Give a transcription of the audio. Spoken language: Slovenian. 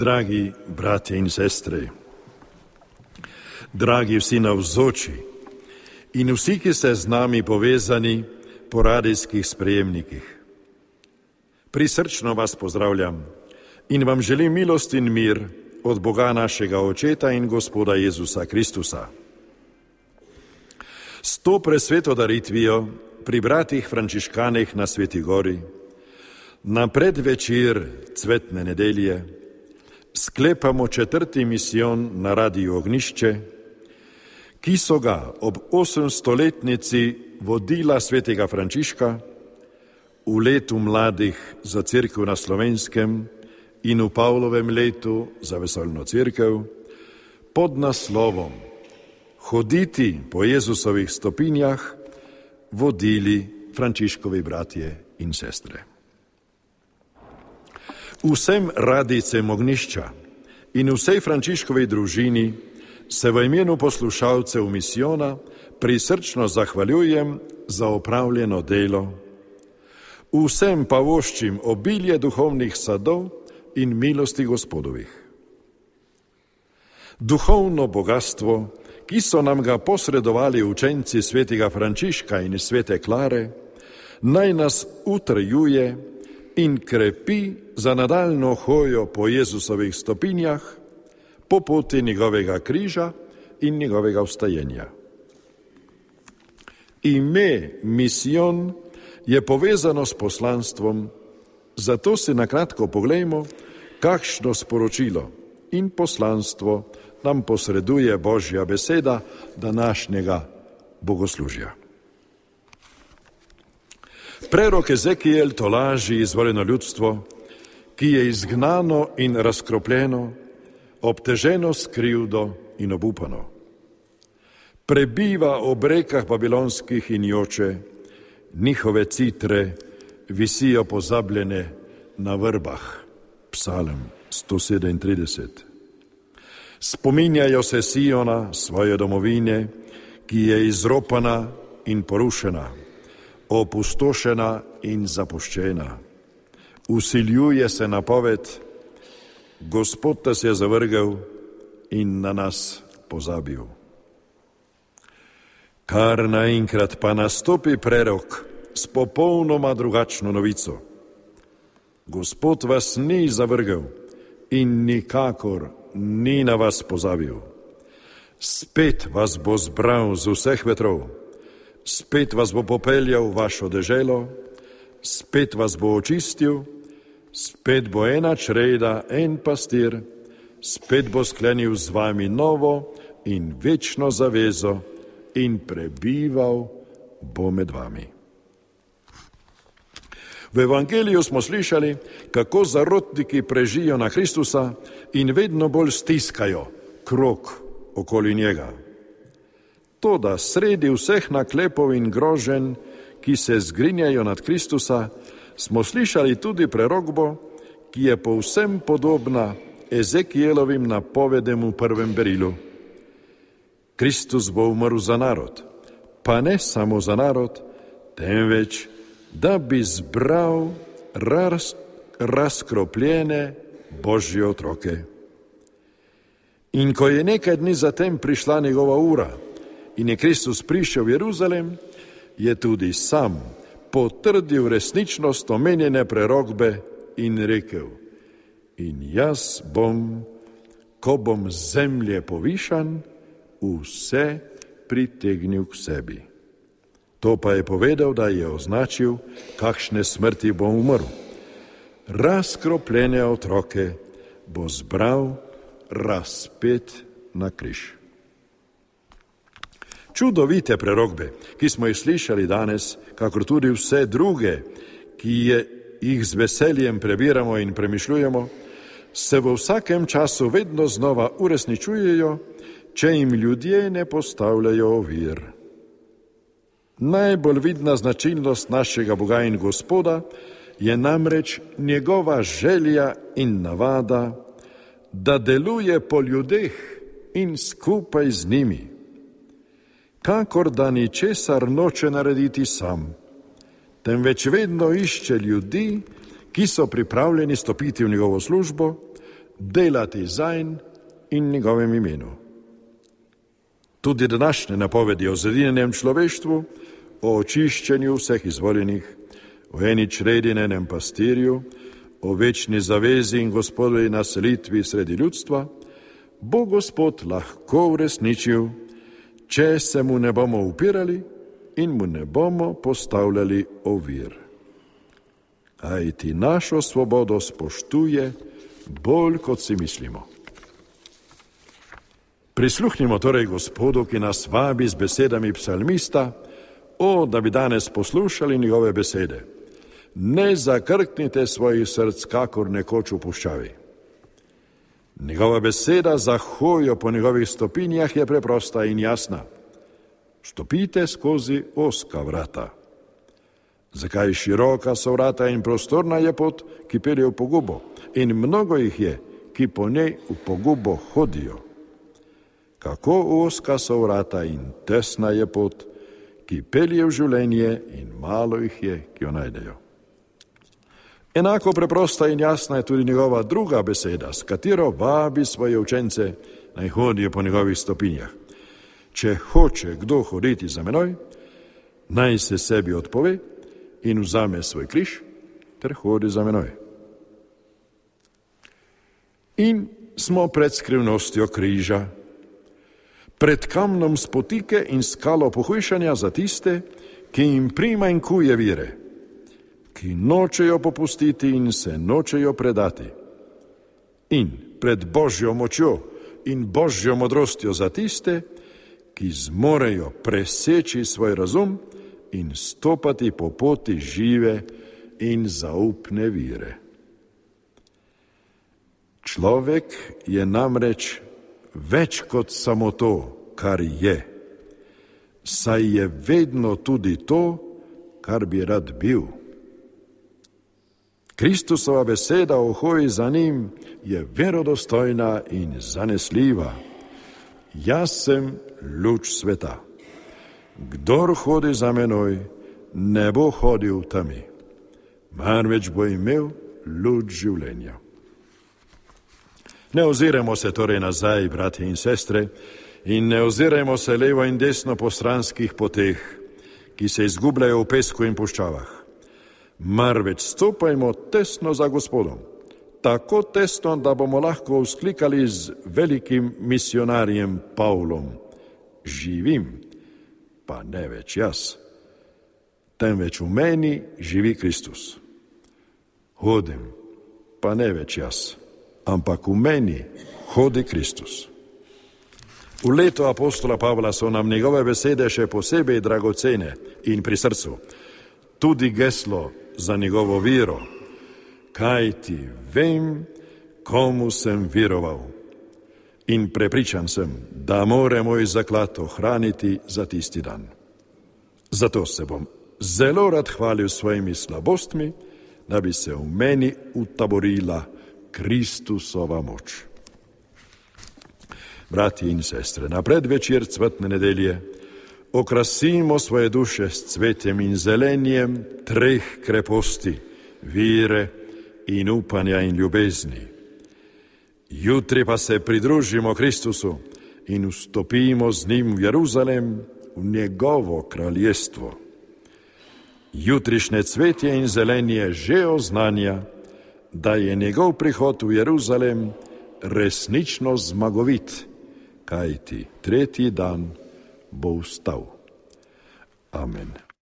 Dragi bratje in sestre, dragi vsi navzoči in vsi, ki ste z nami povezani po radijskih sprejemnikih. Prisrčno vas pozdravljam in vam želim milost in mir od Boga našega Očeta in Gospoda Jezusa Kristusa. S to presveto daritvijo pri bratih frančiškanih na Sveti gori, na predvečer cvetne nedelje, sklepamo 4. misijon na Radiju Ognjišče, ki so ga ob 800-letnici vodila svetega Frančiška v letu mladih za cerkev na Slovenskem in v Pavlovem letu za vesoljno cerkev pod naslovom Hoditi po Jezusovih stopinjah vodili Frančiškovi bratje in sestre. Vsem radijcem Ognjišča in vsej Frančiškovi družini se v imenu poslušalcev misijona prisrčno zahvaljujem za opravljeno delo. Vsem pa voščim obilje duhovnih sadov in milosti Gospodovih. Duhovno bogatstvo, ki so nam ga posredovali učenci svetega Frančiška in svete Klare, naj nas utrjuje in krepi za nadaljno hojo po Jezusovih stopinjah, po poti njegovega križa in njegovega vstajenja. Ime misijon je povezano s poslanstvom, zato si nakratko poglejmo, kakšno sporočilo in poslanstvo nam posreduje Božja beseda današnjega bogoslužja. Prerok Ezekijel tolaži izvoljeno ljudstvo, ki je izgnano in razkropljeno, obteženo s krivdo in obupano. Prebiva ob rekah babilonskih in joče, njihove citre visijo pozabljene na vrbah. Psalm 137. Spominjajo se Siona, svoje domovine, ki je izropana in porušena, opustošena in zapuščena. Vsiljuje se napoved, Gospod nas je zavrgel in na nas pozabil. Kar naenkrat pa nastopi prerok s popolnoma drugačno novico. Gospod vas ni zavrgel in nikakor ni na vas pozabil. Spet vas bo zbral z vseh vetrov, spet vas bo popeljal v vašo deželo, spet vas bo očistil, spet bo ena čreda, en pastir, spet bo sklenil z vami novo in večno zavezo in prebival bo med vami. V Evangeliju smo slišali, kako zarotniki prežijo na Kristusa in vedno bolj stiskajo krog okoli njega. Toda sredi vseh naklepov in groženj, ki se zgrinjajo nad Kristusa, smo slišali tudi prerokbo, ki je povsem podobna Ezekijelovim napovedem v prvem berilu. Kristus bo umrl za narod, pa ne samo za narod, temveč da bi zbral razkropljene Božje otroke. In ko je nekaj dni zatem prišla njegova ura in je Kristus prišel v Jeruzalem, je tudi sam potrdil resničnost omenjene prerokbe in rekel: in jaz bom, ko bom z zemlje povišan, vse pritegnil k sebi. To pa je povedal, da je označil, kakšne smrti bo umrl. Razkropljene otroke bo zbral razpet na križ. Čudovite prerokbe, ki smo jih slišali danes, kakor tudi vse druge, ki jih z veseljem prebiramo in premišljujemo, se v vsakem času vedno znova uresničujejo, če jim ljudje ne postavljajo ovir. Najbolj vidna značilnost našega Boga in Gospoda je namreč njegova želja in navada, da deluje po ljudeh in skupaj z njimi. Kakor da ničesar noče narediti sam, temveč vedno išče ljudi, ki so pripravljeni stopiti v njegovo službo, delati zanj in njegovem imenu. Tudi današnje napovedi o zedinjenem človeštvu, o očiščenju vseh izvoljenih, o eni čredi na enem pastirju, o večni zavezi in Gospodovi naselitvi sredi ljudstva, bo Gospod lahko uresničil, če se mu ne bomo upirali in mu ne bomo postavljali ovir. Kajti našo svobodo spoštuje bolj, kot si mislimo. Prisluhnimo torej Gospodu, ki nas vabi z besedami psalmista, da bi danes poslušali njegove besede. Ne zakrknite svojih src, kakor nekoč v puščavi. Njegova beseda za hojo po njegovih stopinjah je preprosta in jasna. Stopite skozi ozka vrata. Zakaj široka so vrata in prostorna je pot, ki pelje v pogubo, in mnogo jih je, ki po njej v pogubo hodijo. Kako ozka so vrata in tesna je pot, ki pelje v življenje, in malo jih je, ki jo najdejo. Enako preprosta in jasna je tudi njegova druga beseda, s katero vabi svoje učence, naj hodijo po njegovih stopinjah. Če hoče kdo hoditi za menoj, naj se sebi odpove in vzame svoj križ ter hodi za menoj. In smo pred skrivnostjo križa, pred kamnom spotike in skalo pohujšanja za tiste, ki jim primanjkuje vire, ki nočejo popustiti in se nočejo predati. In pred Božjo močjo in Božjo modrostjo za tiste, ki zmorejo preseči svoj razum in stopati po poti žive in zaupne vire. Človek je namreč več kot samo to, kar je, saj je vedno tudi to, kar bi rad bil. Kristusova beseda o hoji za njim je verodostojna in zanesljiva. Jaz sem luč sveta. Kdor hodi za menoj, ne bo hodil v temi, marveč bo imel luč življenja. Ne oziramo se torej nazaj, bratje in sestre, in ne ozirajmo se levo in desno po stranskih poteh, ki se izgubljajo v pesku in puščavah. Marveč stopajmo tesno za Gospodom, tako tesno, da bomo lahko vzklikali z velikim misionarjem Pavlom: živim, pa ne več jaz, temveč v meni živi Kristus. Hodim, pa ne več jaz, ampak v meni hodi Kristus. V letu apostola Pavla so nam njegove besede še posebej dragocene in pri srcu. Tudi geslo za njegovo vero, kajti vem, komu sem veroval. In prepričan sem, da more moj zaklad ohraniti za tisti dan. Zato se bom zelo rad hvalil svojimi slabostmi, da bi se v meni utaborila Kristusova moč. Bratji in sestre, na predvečer cvetne nedelje okrasimo svoje duše s cvetjem in zelenjem treh kreposti, vire in upanja in ljubezni. Jutri pa se pridružimo Kristusu in vstopimo z njim v Jeruzalem, v njegovo kraljestvo. Jutrišnje cvetje in zelenje že oznanja, da je njegov prihod v Jeruzalem resnično zmagovit, kajti tretji dan bo vstal. Amen.